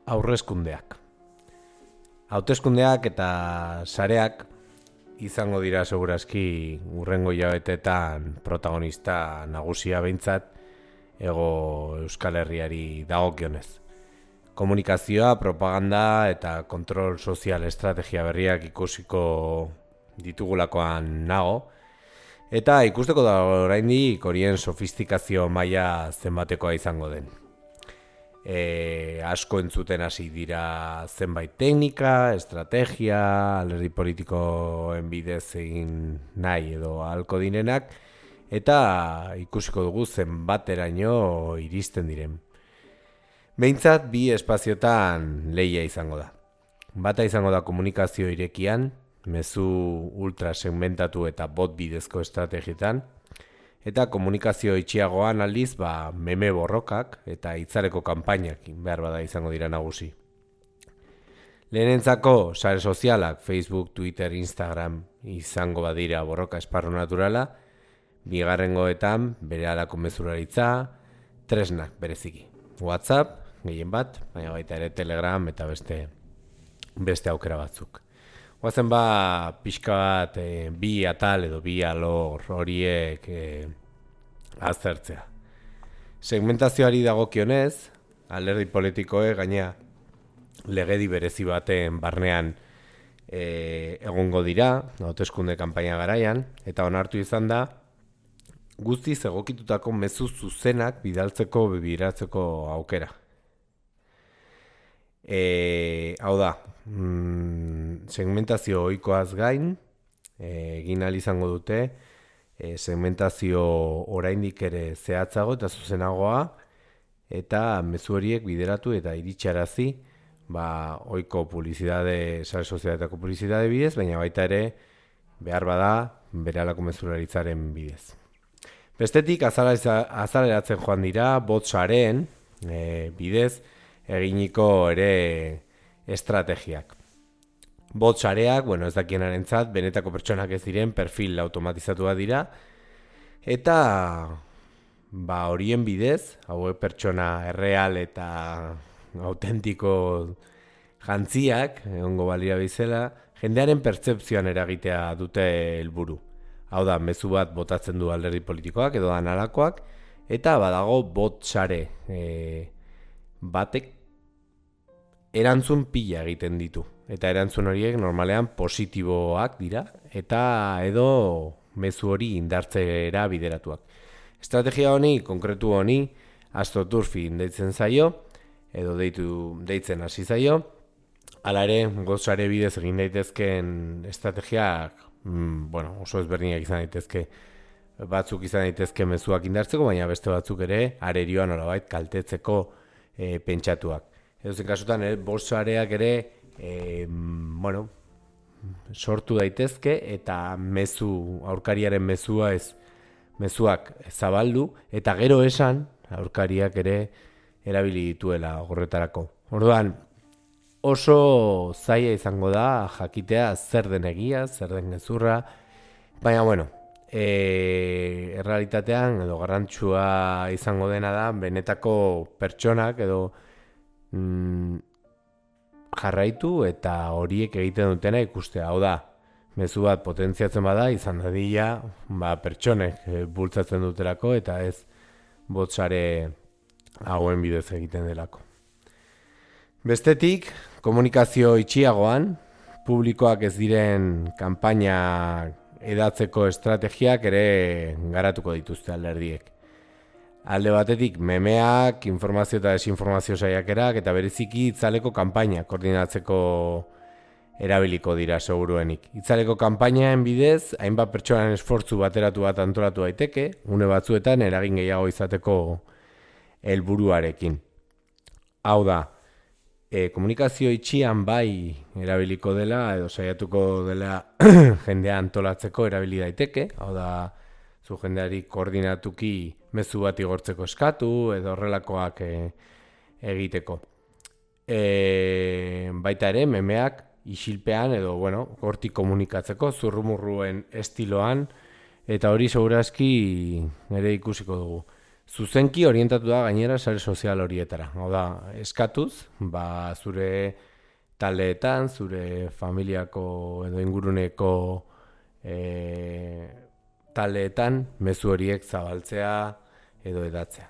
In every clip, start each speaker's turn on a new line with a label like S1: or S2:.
S1: Aurrezkundeak. Hauteskundeak eta sareak izango dira segurazki hurrengo hilabeteetan protagonista nagusia behintzat ego Euskal Herriari dagokionez. Komunikazioa, propaganda eta kontrol sozial estrategia berriak ikusiko ditugulakoan nago, eta ikusteko da oraindik horien sofistikazio maila zenbatekoa izango den. Asko entzuten hasi dira zenbait teknika, estrategia, alderdi politikoen bidez egin nahi edo ahalko direnak, eta ikusiko dugu zenbateraino iristen diren. Behintzat bi espaziotan lehia izango da. Bata izango da komunikazio irekian, mezu ultrasegmentatu eta bot bidezko estrategietan, eta komunikazio itxiagoan aldiz meme borrokak eta hitzareko kanpainak behar bada izango dira nagusi. Lehenentzako sare sozialak, Facebook, Twitter, Instagram izango badira borroka esparru naturala, bigarrengoetan berehalako mezularitza, tresnak bereziki. WhatsApp, gehien bat, baina baita ere Telegram eta beste aukera batzuk. Guazen pixka bat bi atal edo bi alor horiek aztertzea. Segmentazioari dagokionez, alderdi politikoek gaina legedi berezi baten barnean egongo dira, hauteskunde kanpaina garaian, eta onartu izan da, guztiz egokitutako mezu zuzenak bidaltzeko bideratzeko aukera. Hau da, segmentazio ohikoaz gain, egin ahal izango dute, segmentazio oraindik ere zehatzago eta zuzenagoa, eta mezu horiek bideratu eta iritsarazi, ohiko publizitate, sare sozialetako publizitate bidez, baina baita ere behar bada berehalako mezularitzaren bidez. Bestetik, azaleratzen joan dira, bot sareen bidez eginiko ere estrategiak. Bot sareak, ez dakienarentzat, benetako pertsonak ez diren perfil automatizatua dira, eta horien bidez, hauek pertsona erreal eta autentiko jantziak, egongo balira bizela, jendearen pertzepzioan eragitea dute helburu. Hau da, mezu bat botatzen du alderdi politikoak edo analakoak, eta badago bot sare batek erantzun pila egiten ditu. Eta erantzun horiek normalean positiboak dira, eta edo mezu hori indartzera bideratuak. Estrategia honi, konkretu honi, astroturfing deitzen zaio, edo deitzen hasi zaio. Hala ere, gozare bidez egin daitezkeen estrategiak, oso ezberdinak izan daitezke, batzuk izan daitezke mezuak indartzeko, baina beste batzuk ere arerioan nolabait kaltetzeko pentsatuak. Edozein kasutan, bosareak ere sortu daitezke eta aurkariaren mezuak zabaldu eta gero esan aurkariak ere erabili dituela horretarako. Orduan, oso zaila izango da jakitea zer den egia, zer den gezurra, baina errealitatean edo garrantzua izango dena da benetako pertsonak edo jarraitu eta horiek egiten dutena ikustea. Hau da, mezu bat potentziatzen bada izan dadila pertsonek bultzatzen dutelako eta ez botsare hauen bidez egiten delako. Bestetik, komunikazio itxiagoan, publikoak ez diren kanpaina edatzeko estrategiak ere garatuko dituzte alderdiek. Alde batetik, memeak, informazio eta desinformazio saiakerak eta bereziki itzaleko kanpaina koordinatzeko erabiliko dira seguruenik. Itzaleko kanpainaen bidez, hainbat pertsonan esfortzu bateratu bat antolatu daiteke, une batzuetan eragin gehiago izateko helburuarekin. Hau da, komunikazio itxian bai erabiliko dela edo saiatuko dela jendea antolatzeko erabili daiteke, hau da, zu jendeari koordinatuki mezu bat igortzeko eskatu edo horrelakoak egiteko. Baita ere, memeak isilpean edo, hortik komunikatzeko, zurrumurruen estiloan, eta hori segurazki ere ikusiko dugu. zuzenki orientatu da gainera sare sozial horietara. Hau da, eskatuz, zure taldeetan, zure familiako edo inguruneko taldeetan mezu horiek zabaltzea edo edatzea.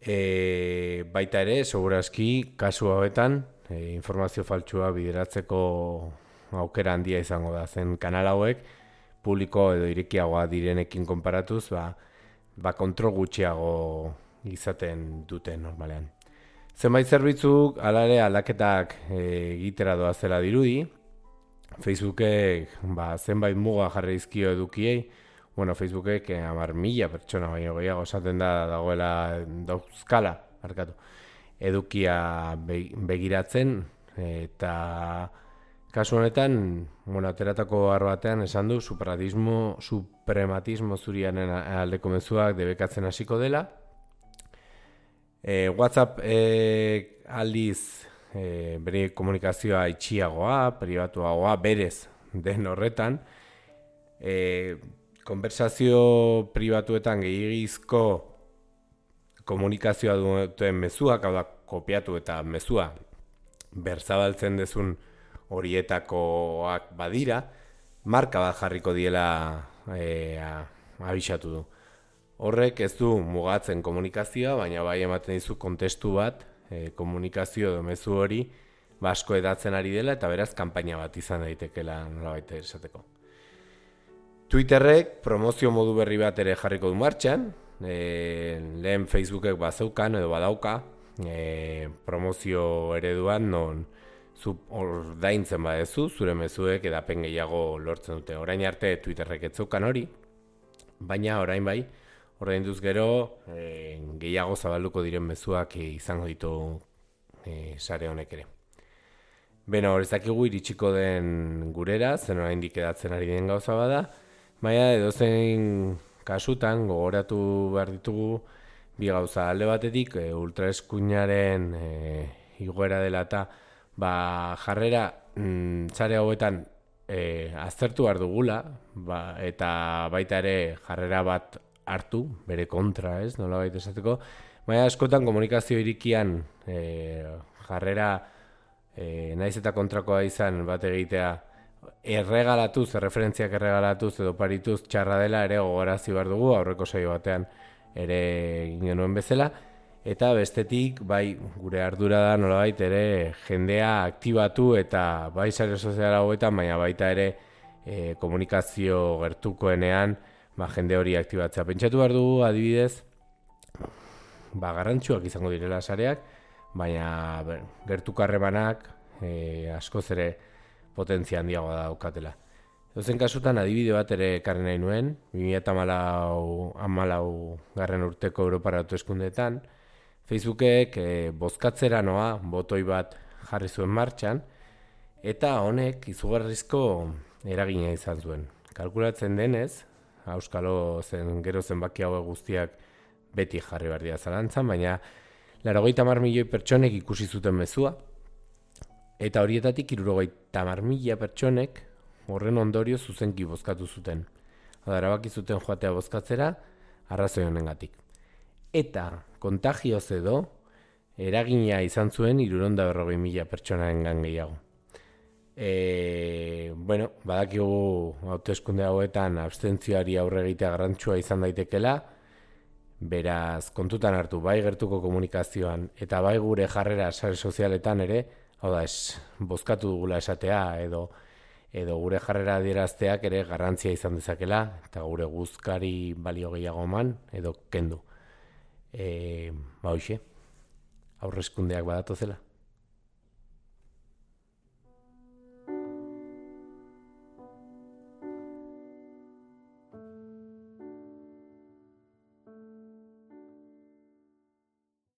S1: Baita ere, segurazki, kasu hauetan, informazio faltsua bideratzeko aukera handia izango da. Zen kanal hauek, publiko edo irekiagoa direnekin konparatuz, kontrol gutxiago izaten dute normalean. Zenbait zerbitzuk, hala ere aldaketak egitera doazela dirudi. Facebookek zenbait muga jarri dizkio edukiei. Facebookek 10.000 pertsona baino gehiago esaten dauzkala, edukia begiratzen, eta kasu honetan, ateratako batean esan du suprematismo zuriaren aldeko mezuak debekatzen hasiko dela. WhatsApp aldiz bere komunikazioa itxiagoa, pribatuagoa, berez den horretan, konversazio pribatuetan gehiagizko komunikazioa duten mezuak, hau da, kopiatu eta mezua berzabaltzen dezun horietakoak badira, marka bat jarriko diela abisatu du. Horrek ez du mugatzen komunikazioa, baina bai ematen dizu kontestu bat, komunikazio edo mezu hori asko edatzen ari dela, eta beraz kanpaina bat izan daitekela nolabait esateko. Twitterrek promozio modu berri bat ere jarriko du martxan, lehen Facebookek bazeukan edo badauka promozio ereduan non zu ordaintzen badezu, zure mezuek edapen gehiago lortzen dute. Orain arte Twitterrek ez zeukan hori, baina orain bai, ordainduz gero gehiago zabalduko diren mezuak izango ditu sare honek ere. Beno, hor ez dakigu iritsiko den gurera, zen oraindik edatzen ari den gauza bada, baina edozein kasutan gogoratu behar ditugu bi gauza. Alde batetik ultraeskuinaren igoera dela eta jarrera sare hauetan aztertu behar dugula, eta baita ere jarrera bat hartu, bere kontra, ez, nolabait esateko, baina askotan komunikazio irikian jarrera naiz eta kontrakoa izan bat egitea erreferentziak erregalatuz edo parituz txarra dela ere gogorazi behar dugu, aurreko saio batean ere egin genuen bezala, eta bestetik bai gure ardura da nolabait ere jendea aktibatu eta bai sare sozial hauetan, baina baita ere komunikazio gertukoenean jende hori aktibatzea. Pentsatu behar dugu adibidez garrantzuak izango direla sareak, baina gertuko harremanak askoz ere potentzia handiagoa daukatela. Edozein kasutan adibide bat ere ekarri nahi nuen, 2014 urteko Europara hauteskundeetan, Facebookek bozkatzera noa botoi bat jarri zuen martxan, eta honek izugarrizko eragina izan zuen. Kalkulatzen denez, auskalo gero zenbaki hauek guztiak beti jarri behar dira zalantzan, baina 80 milioi pertsonek ikusi zuten mezua, eta horietatik 70.000 pertsonek horren ondorio zuzenki bozkatu zuten. Erabaki zuten joatea bozkatzera arrazoi honengatik. Eta kontagioz edo eragina izan zuen 340.000 pertsonarengan gehiago. Badakigu hauteskunde hauetan abstentzioari aurre egitea garrantzitsua izan daitekela, beraz kontutan hartu bai gertuko komunikazioan eta bai gure jarrera sare sozialetan ere, hau da, bozkatu dugula esatea edo gure jarrera adierazteak ere garrantzia izan dezakela eta gure guzkari balio gehiago eman edo kendu. Hoxe, aurrezkundeak badatozela.